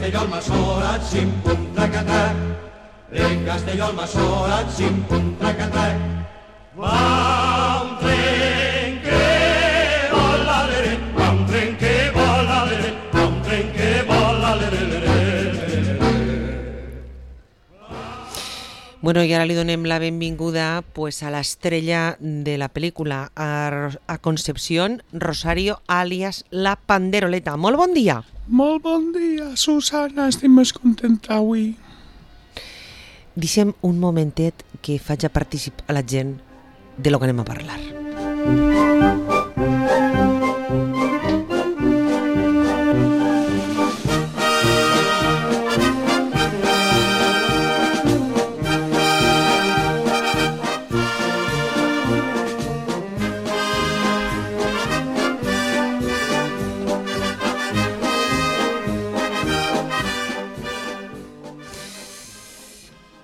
Castelló al Masora, xim-pum, trac-a-trac. En Castelló al Masora, xim-pum, trac-a-trac. Va un tren que vola, lere, va un tren que vola, lere, va un tren que vola, lere, lere. Bueno, i ara li donem la benvinguda pues, a l'estrella de la pel·lícula, a Concepción Rosario, alias La Panderoleta. Molt bon dia. Molt bon dia, Susana, estic més contenta avui. Deixem un momentet que faig a participar a la gent de lo que anem a parlar.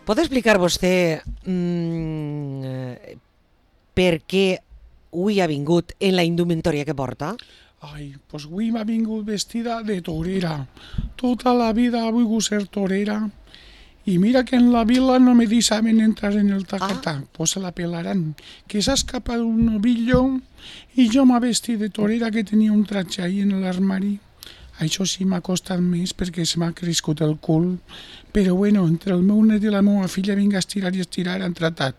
Pot explicar vostè per què avui ha vingut en la indumentària que porta? Ai, doncs avui m'ha vingut vestida de torera. Tota la vida he volgut ser torera. I mira que en la vila no me deixaven entrar en el tacatac. Pues se la pelaran. Que s'ha escapat un novillo i jo m'ha vestit de torera que tenia un tratge ahí en l'armari. Això sí m'ha costat més perquè se m'ha crescut el cul. Però bueno, entre el meu net i la meva filla vinga a estirar i estirar han tratat.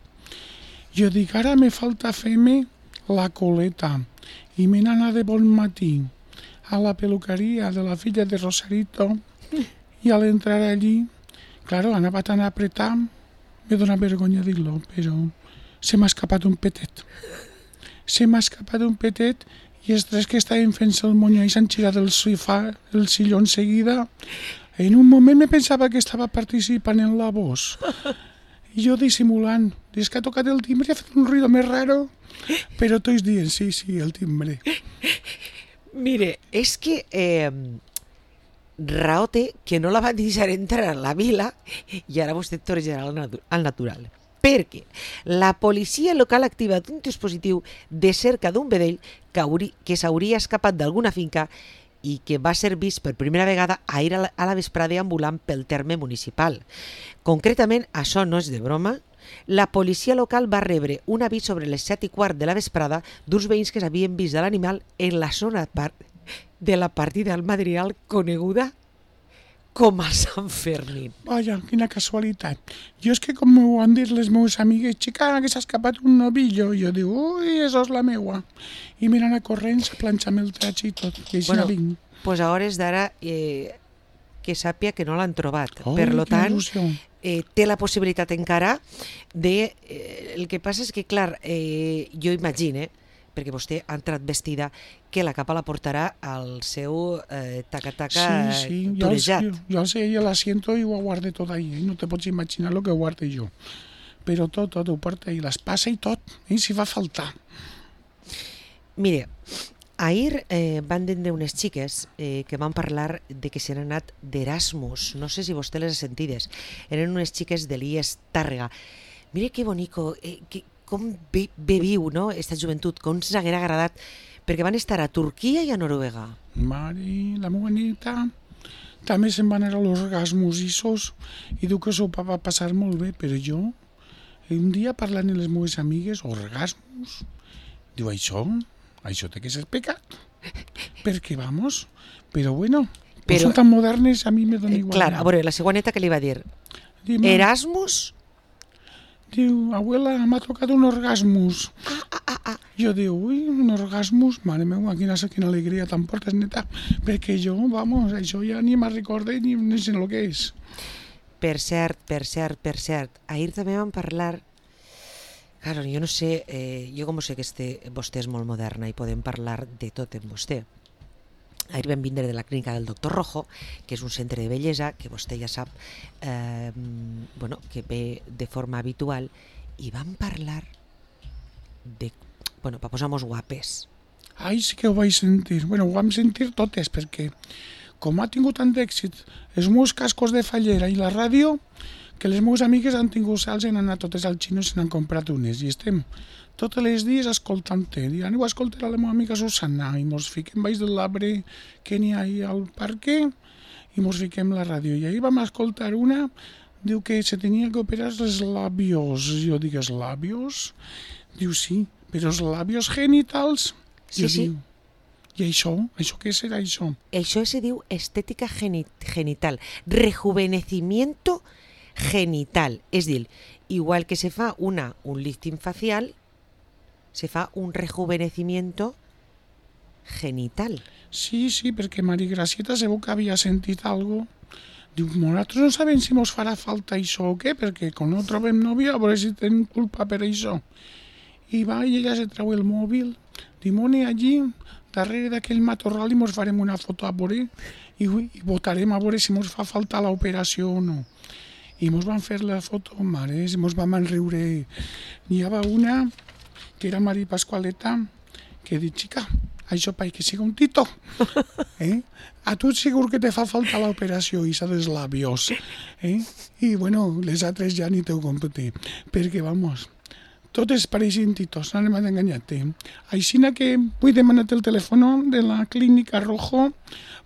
Jo dic, ara me falta fer-me la coleta. I me n'anà de bon matí a la peluqueria de la filla de Rosarito i al entrar allí, claro, anava tan apretat, me dona vergonya dir-lo, però se m'ha escapat un petet. Se m'ha escapat un petet i els tres que estaven fent-se el monyo i s'han girat el silló enseguida. En un moment me pensava que estava participant en la voz. I jo dissimulant. Des que ha tocat el timbre ha fet un ruido més raro. Però tots dient, sí, el timbre. Mire, és que raó té que no la van deixar entrar a la vila i ara vostè tornarà al natural. Perquè la policia local ha activat un dispositiu de cerca d'un vedell que s'hauria escapat d'alguna finca i que va ser vist per primera vegada ahir a la vesprada ambulant pel terme municipal. Concretament, això no és de broma, la policia local va rebre un avís sobre les 7:15 de la vesprada d'uns veïns que s'havien vist de l'animal en la zona de la partida del Madrigal coneguda com a Sant Fermín. Vaja, quina casualitat. Jo és que com m'ho han dit les meves amigues, xica, que s'ha escapat un novillo, jo dic, ui, això és la meua. I m'he anat corrents a planxar-me el tratge i tot, i així no vinc. Pues a hores d'ara que sàpia que no l'han trobat. Per lo tant, té la possibilitat encara de... el que passa és que, clar, jo imagine, perquè vostè ha entrat vestida, que la capa la portarà al seu taca-taca torejat. Jo sé, jo la siento i ho guarde tot ahí. No te pots imaginar el que guarde jo. Però tot ho porta i l'espasa i tot, si fa faltar. Mire, ahir van vindre unes xiques que van parlar de que s'han anat d'Erasmus. No sé si vostè les ha sentides. Eren unes xiques de l'IES Tàrrega. Mire que bonico, com bé viu, no?, esta joventut, com s'haguera agradat, perquè van estar a Turquia i a Noruega. Mare, la meva neta també se'n van anar a los Erasmus i diu que s'ho va passar molt bé, però jo, un dia parlant amb les meves amigues, Erasmus, diu, això té que ser pecat, perquè vamos, però bueno, però són tan modernes, a mi me dona igual. Clar, a veure, la seva neta que li va dir? Erasmus? Diu, abuela, m'ha tocat un orgasmus. Jo diu, ui, un orgasmus? Mare meva, quina alegria te'n portes, neta. Perquè jo, vamos, això ja ni me'n recorde ni sé el que és. Per cert. Ahir també vam parlar... Claro, jo no sé, jo com sé que vostè és molt moderna i podem parlar de tot amb vostè. Ahir vam vindre de la clínica del doctor Rojo, que és un centre de bellesa, que vostè ja sap que ve de forma habitual, i vam parlar de... per posar-nos guapes. Ai, sí que ho vaig sentir. Ho vam sentir totes, perquè com ha tingut tant d'èxit els meus cascos de fallera i la ràdio, que les meves amigues han tingut sals i han anat totes al xino i se n'han comprat unes, i estem tots els dies escoltant-te. Aneu a escoltar a la meva amiga Susana i mos fiquem baix de l'arbre que n'hi ha al parc i mos fiquem la ràdio. I ahir vam escoltar una, diu que se tenia que operar els labios. Jo dic, els labios? Diu, sí, però els labios genitals? Sí, sí. Diu, i això? Això què serà això? Això se diu estética genital, rejuvenecimiento genital. És dir, igual que se fa un lifting facial, se fa un rejuvenecimiento genital. Sí, perquè Mari Gracieta segur que havia sentit algo. Diu, nosaltres no sabem si mos farà falta això o què, perquè quan no trobem nòvia, a veure si tenim culpa per això. I va, i ella se treu el mòbil, dimoni allí, darrere d'aquell matorral, i mos farem una foto a veure, i votarem a veure si mos fa falta l'operació o no. I mos van fer la foto, mares, i mos vam enriure. N'hi havia una, que era Mari Pasqualeta, que diu, xica, això per que siga un tito. A tu segur que te fa falta l'operació isa dels labios. I bueno, les altres ja ni t'ho compte, perquè vamos, totes pareixen titos, no m'han enganyat. Aixina que vull demanar el telèfon de la clínica Rojo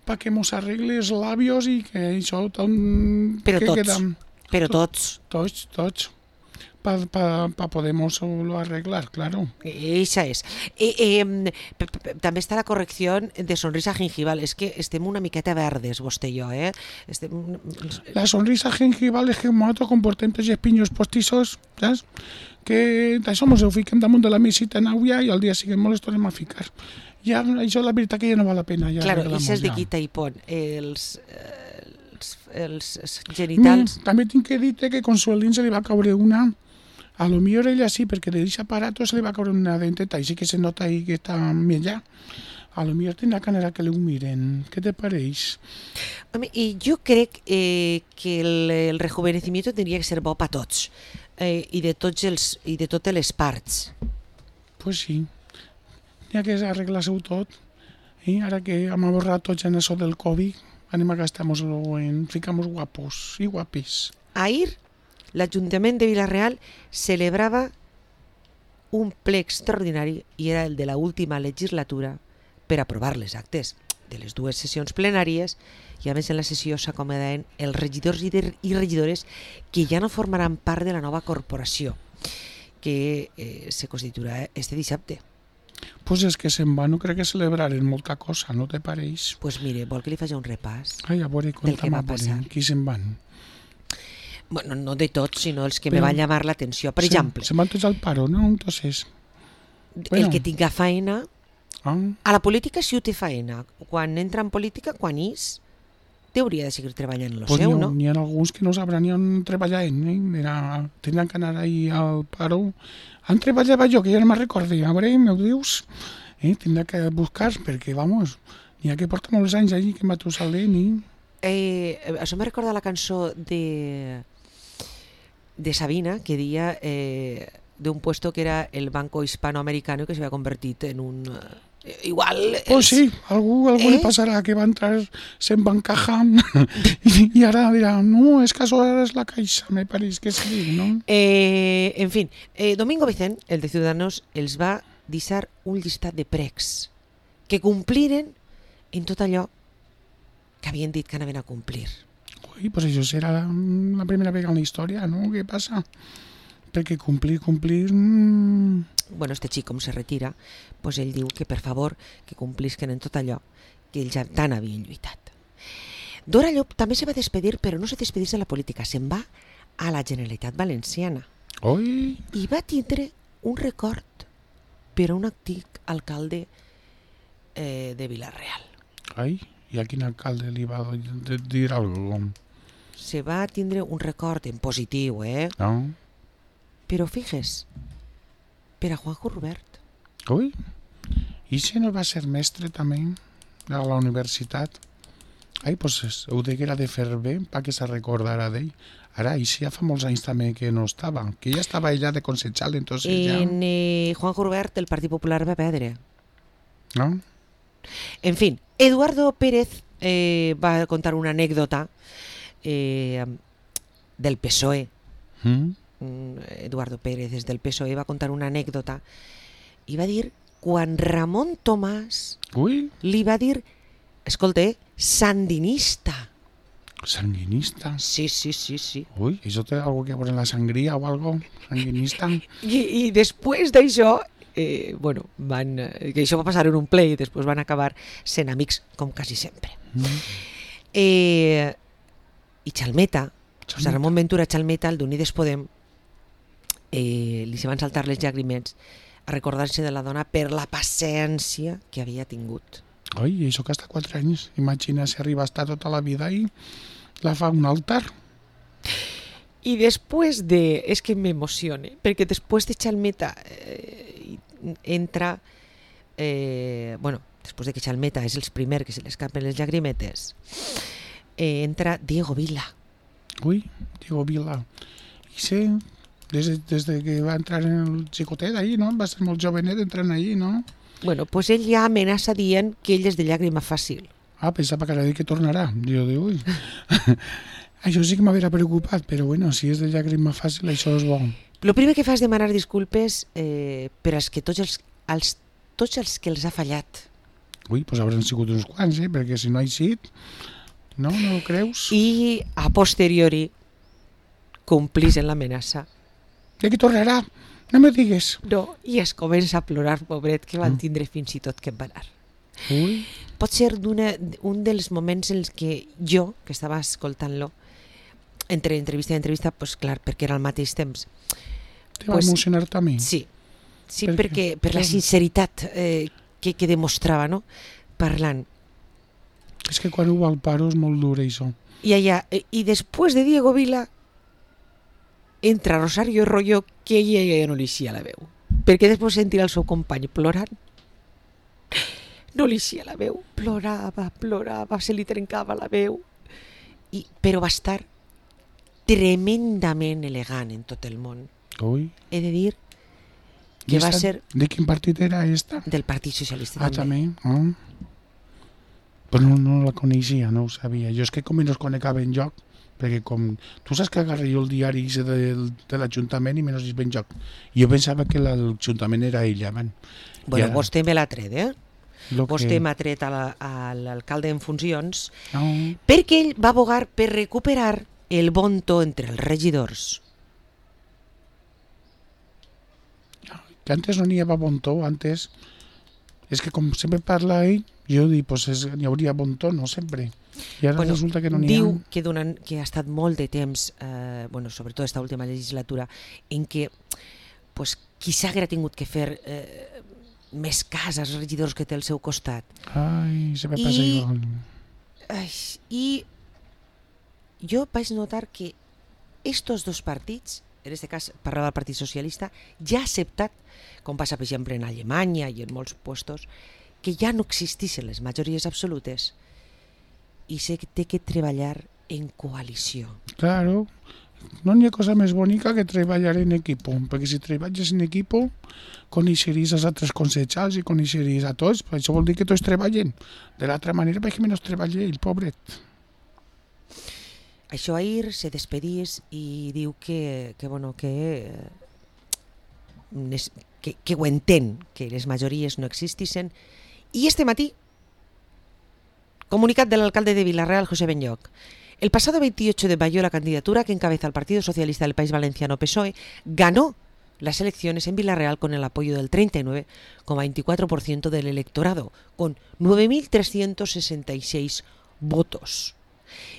perquè mos arregle els labios i que això tot... Però tots. Tots. Para podemoslo arreglar, claro. Esa es. També està la correcció de sonrisa gingival. És que estem una miqueta verdes, vostè i jo, La sonrisa gingival és que nosaltres comportem els espinhos postizos, saps? Que això mos ho fiquem damunt de la mesita en aigua i al dia siguiente mos les tornem a ficar. Ja, això la veritat que ja no val la pena. Ja claro, i és de quita i pon. Els genitals... També tinc que dir que Consuelín se li va caure una... A lo millor ella sí, perquè de aquest aparato se li va caure una denteta i sí que se nota ahí que està millor. A lo millor tindrà que anar a que li ho miren. Què te pareix? I jo crec que el rejuvenecimiento tindria que ser bo per tots i de totes les parts. Pues sí. N'hi ha que arreglar-se-ho tot. Ara que hem aborrat tots en això del Covid, anem a gastar-nos-lo en ficar-nos guapos i guapis. Ahir l'Ajuntament de Vila-real celebrava un ple extraordinari i era el de la última legislatura per aprovar les actes de les dues sessions plenàries i a més en la sessió s'acomodaven els regidors i regidores que ja no formaran part de la nova corporació que se constituirà este dissabte. Pues és que se'n va, no crec que celebraren molta cosa, no te pareix? Pues mire, vol que li faci un repàs a veure, del que va passar. Qui se'n van? Bueno, no de tots, sinó els que me van llamar l'atenció. Per exemple... Se van tots al paro, no? Entonces... El que tinga feina... A la política sí ho té feina. Quan entra en política, quan és, hauria de seguir treballant en lo seu, no? N'hi ha alguns que no sabran ni on treballant, tindran que anar ahí al paro. On treballava jo, que ja no me'n recordo. A veure, m'ho dius? Tindrà que buscar, perquè, vamos, n'hi ha que porta molts anys allí que Matusalén i... Això me recorda la cançó de Sabina, que deia de un puesto que era el Banco Hispanoamericano que se había convertit en un... Igual... Pues sí, algú li passarà que va entrar se'n bancaja i ara dirà, no, és que això ara és la Caixa, me pareix que sí, no? En fin, Domingo Vicent, el de Ciudadanos, els va deixar un llistat de pregs que compliren en tot allò que havien dit que anaven a complir. Ui, pues això serà la primera vegada en la història, no? Què passa? Perquè complir... Bueno, este xic, com se retira, pues ell diu que, per favor, que complisquen en tot allò que ells ja tant havien lluitat. Dora Llop també se va despedir, però no se despedís de la política, se'n va a la Generalitat Valenciana. Oi! I va tindre un record per a un antic alcalde de Vila-real. Ai, i a quin alcalde li va dir alguna cosa? Se va tindre un record en positiu, No? Però fixes, per a Juanjo Rubert. Ui, i si no va ser mestre també a la universitat? Ai, pues ho deguera de fer bé perquè se recordara d'ell. Ara, i si ja fa molts anys també que no estava, que ja estava allà de consejal, entonces ja... Juanjo Rubert, el Partit Popular va perdre. No? En fin, Eduardo Pérez va contar una anècdota del PSOE. Eduardo Pérez, des del PSOE, va contar una anècdota i va dir, quan Ramon Tomàs li va dir, escolta, sandinista. Sanguinista. Sí, sí, sí, sí. Uy, ¿eso tiene algo que ver en la sangría o algo? Sanguinista. I després d'això, bueno, que això va passar en un ple i després van acabar sent amics, com quasi sempre. I Chalmeta, o sigui, Ramon Ventura Chalmeta, el d'Unides Podem, li se van saltar les llàgrimes a recordar-se de la dona per la paciència que havia tingut. Oi, això que està 4 anys. Imagina si arriba a estar tota la vida i la fa un altar. I després de... És que m'emocione, perquè després de Chalmeta entra... bueno, després de que Chalmeta és el primer que se li escapen les llagrimetes, entra Diego Vila. Ui, Diego Vila. I sé, des de que va entrar en el xicotet ahí, no? Va ser molt jovenet entrant ahí, no? Bueno, pues ell ja amenaça dient que ell és de llàgrima fàcil. Ah, pensava que ara dir que tornarà. Jo dic, ui... Això sí que m'havia preocupat, però bueno, si és de llàgrima fàcil, això és bo. El primer que fa és demanar disculpes per als que tots els que els ha fallat. Ui, doncs hauran sigut uns quants, perquè si no ha eixit, no ho creus? I a posteriori complís en l'amenaça. De que tornarà, no me digues. No, i es comença a plorar, pobret, que van tindre fins i tot que emparar. Ui. Pot ser un dels moments en què jo, que estava escoltant-lo, entre entrevista i entrevista, pues clar, perquè era al mateix temps. Te va emocionar també? Sí, perquè per la sinceritat que demostrava, no? Parlant. És que quan ho va al paro és molt dur, això. I després de Diego Vila entra Rosario Royo, que ella ja no li eixia la veu. Perquè després sentir el seu company plorant, no li eixia la veu, plorava, se li trencava la veu, però va estar tremendament elegant en tot el món. Ui. He de dir que va ser... De quin partit era esta? Del Partit Socialista. Ah, també. Però no la coneixia, no ho sabia. Jo és que com no es conecava en joc, perquè com... Tu saps que agarré jo el diari de l'Ajuntament i menys es ben joc. Jo pensava que l'Ajuntament era ella, man. Bueno, vostè me l'ha tret, Vostè m'ha tret a l'alcalde en funcions, perquè ell va abogar per recuperar el bon to entre els regidors. Que antes no n'hi havia bon to, antes... És que com sempre parla ell, jo dic, pues n'hi hauria bon to, no sempre. I ara resulta que no n'hi ha. Diu que ha estat molt de temps, sobretot aquesta última legislatura, en què qui s'haguera tingut que fer més cas als regidors que té al seu costat. Ai, se me passa igual. I jo vaig notar que estos dos partits, en aquest cas parlava del Partit Socialista, ja ha acceptat, com passa per exemple en Alemanya i en molts puestos, que ja no existissin les majories absolutes i se té que treballar en coalició. Claro, no n'hi ha cosa més bonica que treballar en equipo, perquè si treballes en equipo coneixeries els altres consellers i coneixeries a tots, això vol dir que tots treballen. De l'altra manera, perquè menys treballa ell, pobret. Això ahir se despedís i diu que ho entén, que les majories no existissin. I este matí, comunicat del alcalde de Vila-real, José Benlloch. El pasado 28 de mayo, la candidatura que encabeza el Partido Socialista del País Valenciano, PSOE, ganó las elecciones en Vila-real con el apoyo del 39,24% del electorado, con 9.366 votos.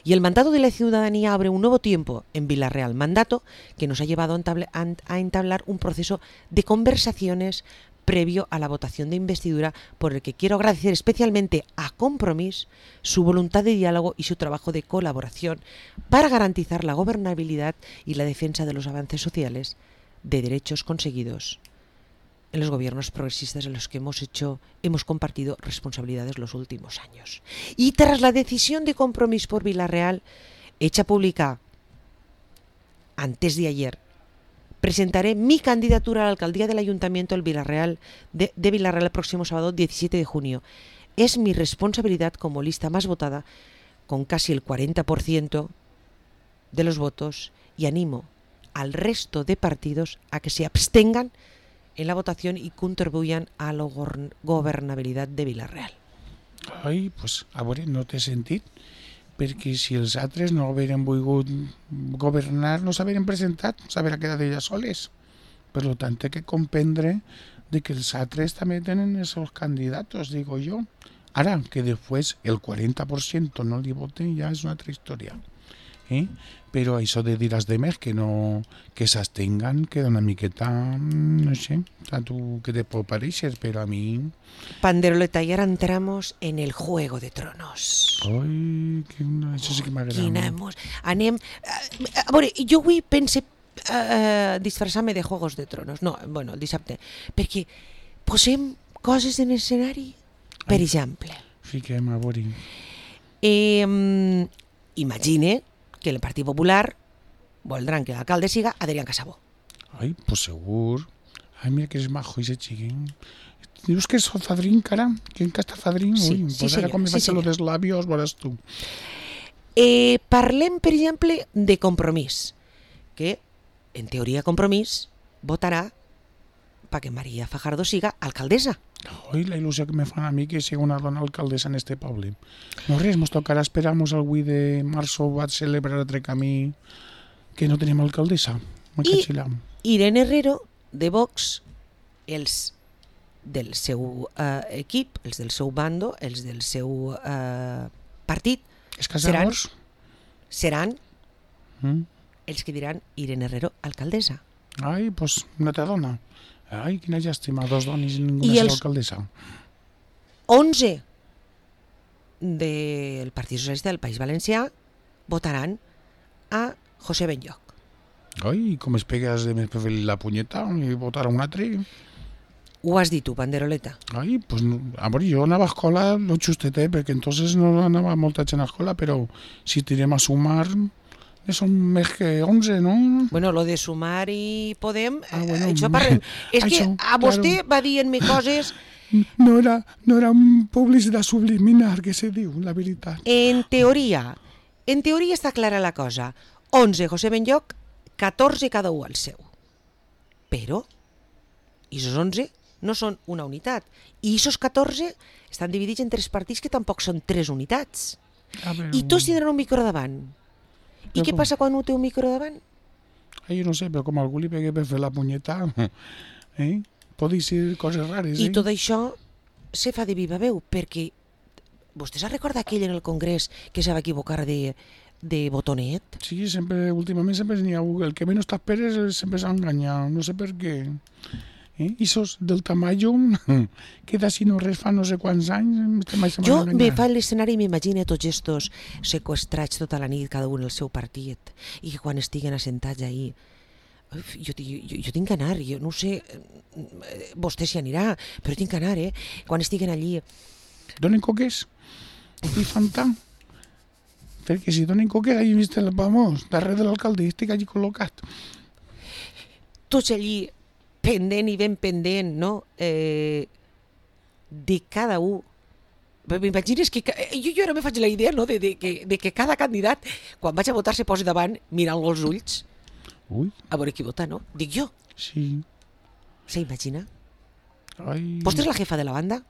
Y el mandato de la ciudadanía abre un nuevo tiempo en Vila-real, mandato que nos ha llevado a entablar un proceso de conversaciones previo a la votación de investidura, por el que quiero agradecer especialmente a Compromís su voluntad de diálogo y su trabajo de colaboración para garantizar la gobernabilidad y la defensa de los avances sociales de derechos conseguidos en los gobiernos progresistas en los que hemos compartido responsabilidades los últimos años. Y tras la decisión de Compromís por Vila-real, hecha pública antes de ayer, presentaré mi candidatura a la alcaldía del Ayuntamiento de Vila-real el próximo sábado 17 de junio. Es mi responsabilidad como lista más votada, con casi el 40% de los votos, y animo al resto de partidos a que se abstengan en la votación y contribuyan a la gobernabilidad de Vila-real. Ai, pues, a veure, no t'he sentit, perquè si els altres no hagueren volgut governar, no s'hagueren presentat, s'hagueren quedat elles soles. Per tant, té que comprendre de que els altres també tenen els seus candidats, digo jo. Ara, que després el 40% no li voten ja és una altra història. Però això de dir als demés que no, que s'abstengan queda una miqueta, no sé, a tu que te pot pareixer, però a mi... Panderoleta, y ahora entramos en el Juego de Tronos. Ai, això sí que m'agrada. Anem... A veure, jo avui pense disfressar-me de Juegos de Tronos. No, bueno, el dissabte. Perquè posem coses en escenari. Per exemple. Fiquem a veure. Imagine que el Partit Popular voldran que l'alcalde siga Adrián Casabó. Ai, pues segur. Ai, mira que és majo ese chiquín. Dius que és fadrín, cara? Que encara està fadrín? Sí, Ui, sí, pues ara senyor, quan me sí, faig lo senyor. dels labios, veuràs tu. Parlem, per exemple, de Compromís, que en teoria Compromís votarà perquè María Fajardo siga alcaldessa. Ai, la il·lusió que me fan a mi que sigui una dona alcaldessa en este poble. No res, mos tocarà esperar-nos el 8 de marzo va celebrar altre camí que no tenim alcaldessa. Irene Herrero, de Vox, els del seu equip, els del seu bando, els del seu partit, És Casadors? seran els que diran Irene Herrero alcaldessa. Ai, pues una altra dona. Ai, quina llàstima, dos dones i ninguna I serà els- alcaldessa. 11 del Partit Socialista del País Valencià votaran a José Benlloch. Ai, com es pegues de més per fer la punyeta i votar a un altre. Ho has dit tu, Panderoleta. Ai, pues, a veure, jo anava a escola lo justetet, perquè entonces no anava molta gent a escola, però si tirem a sumar, són més que 11, no? Bueno, lo de Sumar i Podem, bueno, això parlem. És que això, a vostè claro. va dient-me coses. No era un publicitat subliminar, que se diu, la veritat. En teoria està clara la cosa. 11 José Benlloch, 14 cada un al seu. Però, aquests 11 no són una unitat. I aquests 14 estan dividits en 3 partits que tampoc són 3 unitats. I tots tindran un micro davant. I Però què com? passa quan un té un micro davant? Ai, jo no sé, però com algú li pegue per fer la punyeta, pot dir coses rares, I tot això se fa de viva veu, perquè vostè s'ha recordat aquell en el Congrés que se va equivocar de botonet? Sí, últimament sempre n'hi ha el que menys t'esperes sempre s'ha enganyat, no sé per què. I sos del Tamayo, que d'ací no res fa no sé quants anys, Jo me fa l'escenari i m'imagino tots estos sequestrats tota la nit, cada un el seu partit, i que quan estiguen assentats ahí, jo tinc que anar, jo no sé, vostè s'hi anirà, però tinc que anar, quan estiguen allí. Donen coques i fan tant. Perquè si donen coques, allà vist el famós, darrere de l'alcalde, estic allí col·locat. Tots allí, pendent i ben pendent, no? De cada un. M'imagines que... Jo ara me faig la idea, no?, de que cada candidat, quan vaig a votar, se posi davant, mirant-lo als ulls, Ui, a veure qui vota, no? Dic jo. sí. S'imagina? Ai, Vostè és la jefa de la banda?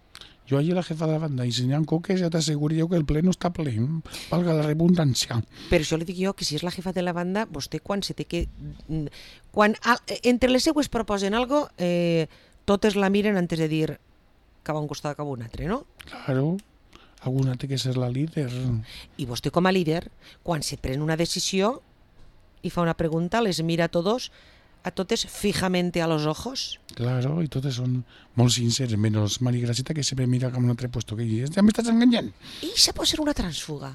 jo allí la jefa de la banda, i si n'hi ha coques ja t'asseguro jo que el ple no està ple, valga la redundància. Per això li dic jo que si és la jefa de la banda, vostè quan se té que... Quan entre les seues proposen algo, totes la miren antes de dir cap a un costat cap a un altre, no? Claro, alguna té que ser la líder. I vostè com a líder, quan se pren una decisió i fa una pregunta, les mira a totes fijamente a los ojos. Claro, i totes són molt sinceres, menys Mari Graceta, que sempre mira com un altre puesto que dius, ja m'estàs enganyant. I això pot ser una transfuga.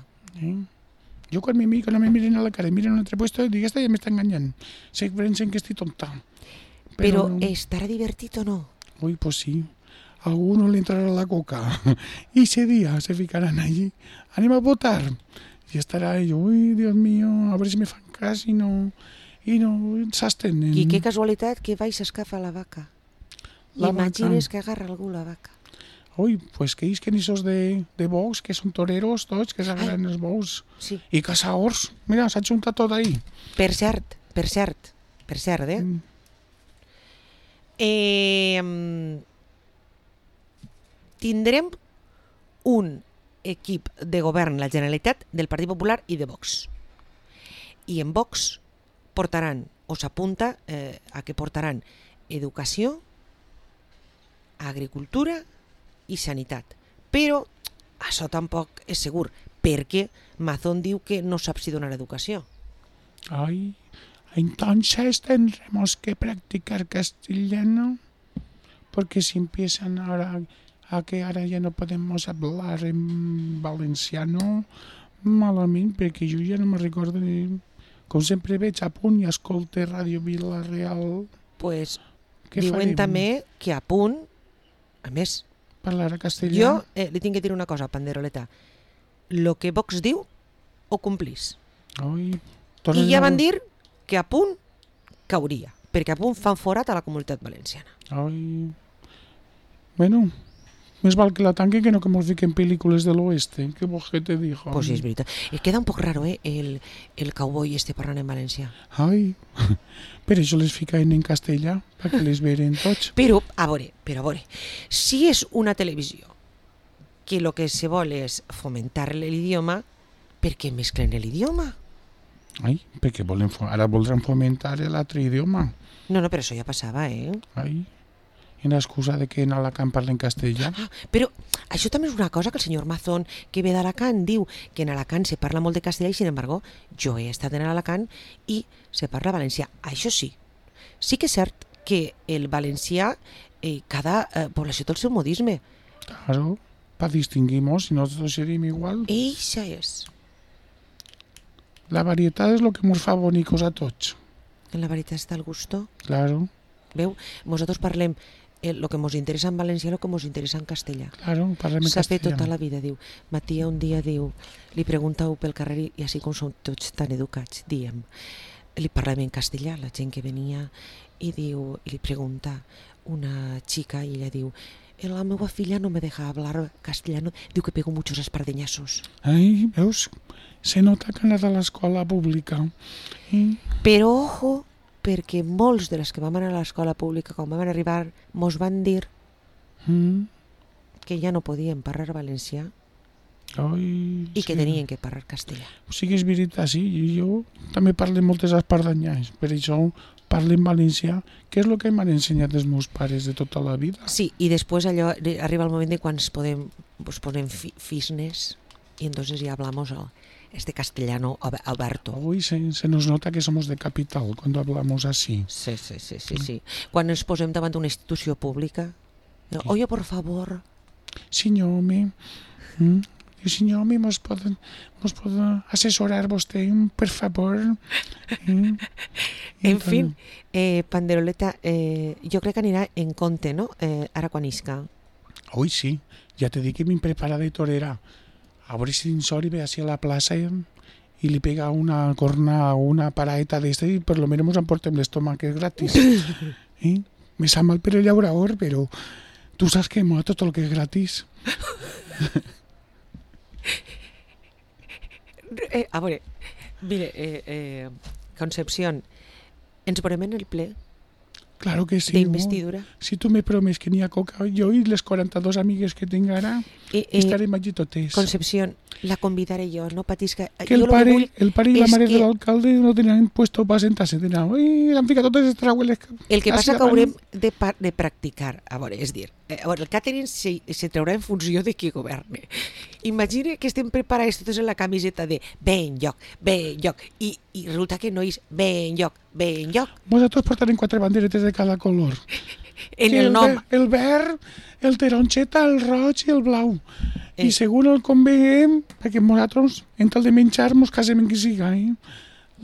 Jo quan me miro, no me miren a la cara, miren a un altre puesto, dic, esta ja m'està enganyant. Se pensen que estic tonta. Però estarà divertit o no? Ui, pues sí. A alguno le entrará la coca. Y ese día se ficarán allí. Anem a votar. Y estará ello, uy, Dios mío, a ver si me fan cas i no s'estenen. I que casualitat que vais a escafar la vaca. La Imagines vaca. que agarra algú la vaca. Ui, pues que ells que ni sos de bous, que són toreros tots, que s'agraden els bous. Sí. I caçadors. Mira, s'ha juntat tot ahí. Per cert, tindrem un equip de govern la Generalitat del Partit Popular i de Vox. I en Vox portaran, o s'apunta a que portaran educació, agricultura i sanitat. Però això tampoc és segur, perquè Mazón diu que no sap si donar educació. Ay, entonces tendremos que practicar castellano, porque si empiezan ahora a que ahora ya no podemos hablar en valenciano, malament, perquè jo ja no me recordo ni... Com sempre veig a Punt i escolte Ràdio Vila-real. Pues Què diuen farem? també que a Punt, a més, Parlar a castellà? jo li tinc que dir una cosa, Panderoleta. Lo que Vox diu, ho complís. Ai, I ja van dir que a Punt cauria, perquè a Punt fan forat a la Comunitat Valenciana. Ai... Bueno, més val que la tanquen que no que mos fiquen pel·lícules de l'oeste. Què vols que te dijo? Pues sí, és veritat. Queda un poc raro, el cowboy este parlant en valencià. Ai, per això les ficaven en castellà, perquè les veren tots. Però, a veure, si és una televisió que el que se vol és fomentar l'idioma, per què mesclen l'idioma? Ai, perquè ara voldran fomentar l'altre idioma. No, però això ja passava, Ai, en excusa de que en Alacant parlen castellà. Però això també és una cosa que el senyor Mazón, que ve d'Alacant, diu que en Alacant se parla molt de castellà i, sin embargo, jo he estat en Alacant i se parla valencià. Això sí que és cert que el valencià, cada població té el seu modisme. Claro, para distinguirnos, si nosotros seríem igual. Eixa és. La varietat és el que ens fa bonicos a tots. En la veritat està el gusto. Claro, Veu? Nosaltres parlem el que ens interessa en valencià, el que ens interessa en castellà. claro, parlem en S'ha fet castellà. tota la vida, diu. Matia un dia diu, li preguntau pel carrer i així com som tots tan educats, diem, li parlem en castellà, la gent que venia, i diu, i li pregunta una xica i ella diu, la meva filla no me deja hablar castellano, diu que pego muchos espardeñazos. Ai, veus? Se nota que anat a l'escola pública. Però ojo, perquè molts de les que vam anar a l'escola pública, quan vam arribar, mos van dir que ja no podien parlar valencià Ai, i que tenien que parlar castellà. Sí que és veritat, sí. Jo també parlo moltes espardanyes, per això parlo en valencià, que és el que m'han ensenyat els meus pares de tota la vida. Sí, i després allò arriba el moment de quan ens ponem fisnes y entonces ya hablamos este castellano Alberto. Uy, se nos nota que somos de capital cuando hablamos así. Sí. Quan ens posem davant d'una institució pública, oye, por favor. Senyor, senyor, mos poden assessorar vostè, per favor? En fin, Panderoleta, jo crec que anirà en compte, no?, ara quan isca. Uy, sí, ja te dic que m'he preparat de torera. A veure si en Sori ve així a la plaça i li pega una corna o una paraeta d'esta i per lo menos ens emportem l'estómac, que és gratis. Me sap mal per el llaurador, però tu saps que mola tot el que és gratis. A veure, mire, Concepción, ens veurem en el ple Claro que sí. d'investidura. Si tu me promes que n'hi ha coca, jo i les 42 amigues que tinc ara estarem allí totes. Concepción, la convidaré jo, no patisca. Que el pare i la mare de l'alcalde no tenen puesto para sentar-se. Han ficat totes les traueles. El que passa que haurem de practicar. A veure, és dir, el catering se traurà en funció de qui governe. Imagina que estem preparats totes en la camiseta de ben lloc, i resulta que no és ben lloc. Vosaltres portarem 4 banderetes de cada color. En el nom. El verd, el taronxeta, el roig i el blau. I segons el conveiem, perquè nosaltres, en tal de menjar, mos casem en qui siga.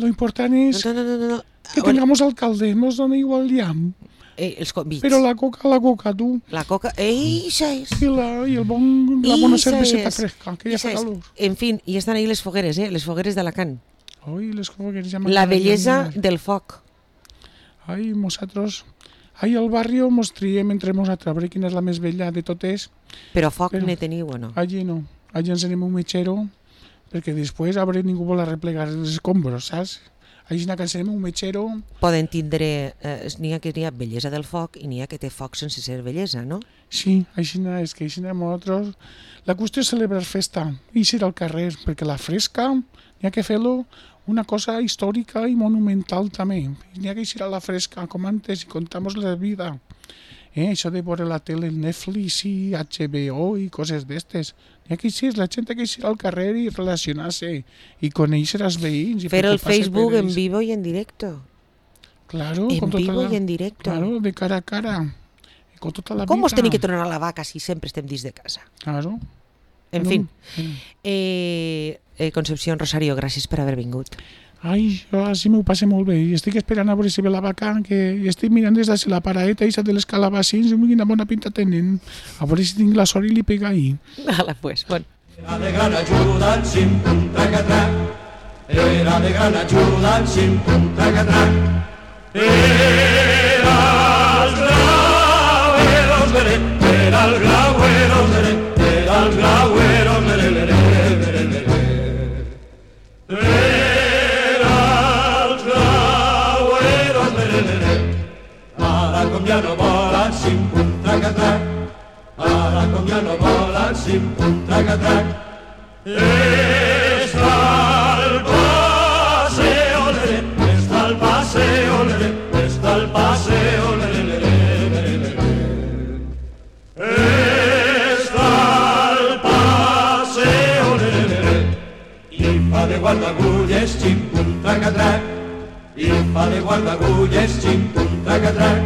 Lo important és que tengamos alcalde, mos dona igual llamp. Els convits. Però la coca, tu. La coca, eixa és. I la bona cerveseta fresca, que ja fa calor. En fi, i estan ahí les fogueres, les fogueres d'Alacant. Ai, les fogueres ja La bellesa del foc. Ai, nosaltres... Ai, al barri mos triem entre nosaltres, a veure quina és la més bella de totes. Però foc ne teniu o no? Allí no. Allí ens anem un metgero, perquè després a veure ningú vol arreplegar els escombros, saps? Així que encenen un metgero. Poden tindre, n'hi ha que n'hi ha bellesa del foc i n'hi ha que té foc sense ser bellesa, no? Sí, així és que així nosaltres... La qüestió és celebrar festa, i ir al carrer, perquè la fresca n'hi ha que fer-lo una cosa històrica i monumental també. N'hi ha que ir a la fresca, com antes, i contamos la vida. Això de veure la tele, el Netflix i HBO i coses d'estes. N'hi ha que ir, la gent ha que ir al carrer i relacionar-se i conèixer els veïns. Fer el Facebook en vivo i en directo. Claro, en vivo i en directo. Claro, de cara a cara. Con tota la Com vida. us tenim que tornar a la vaca si sempre estem dins de casa? Claro. En fin. Concepción, Rosario, gràcies per haver vingut. Ai, jo així m'ho passe molt bé. I estic esperant a veure si ve la vaca, que estic mirant des de la paraeta i de les calabacins, i quina bona pinta tenen. A veure si tinc la sort i li pega ahí. Hala, pues, bon. Era de gran ajuda el xim-pum tracatrac. Era de gran ajuda el xim-pum tracatrac. Era el grauero meré, era el grauero meré, era el grauero meré, meré, meré, meré. Era el grauero meré, meré. Ara com ja no vol el xim-pum tracatrac. Ara com ja no vol el xim-pum tracatrac. Està el paseo, lere, està el paseo, lere, està el paseo, lere, lere, lere, lere. Està el paseo, lere, lere. I fa de guardagulles, xim-pum tracatrac. I fa de guardagulles, xim-pum tracatrac.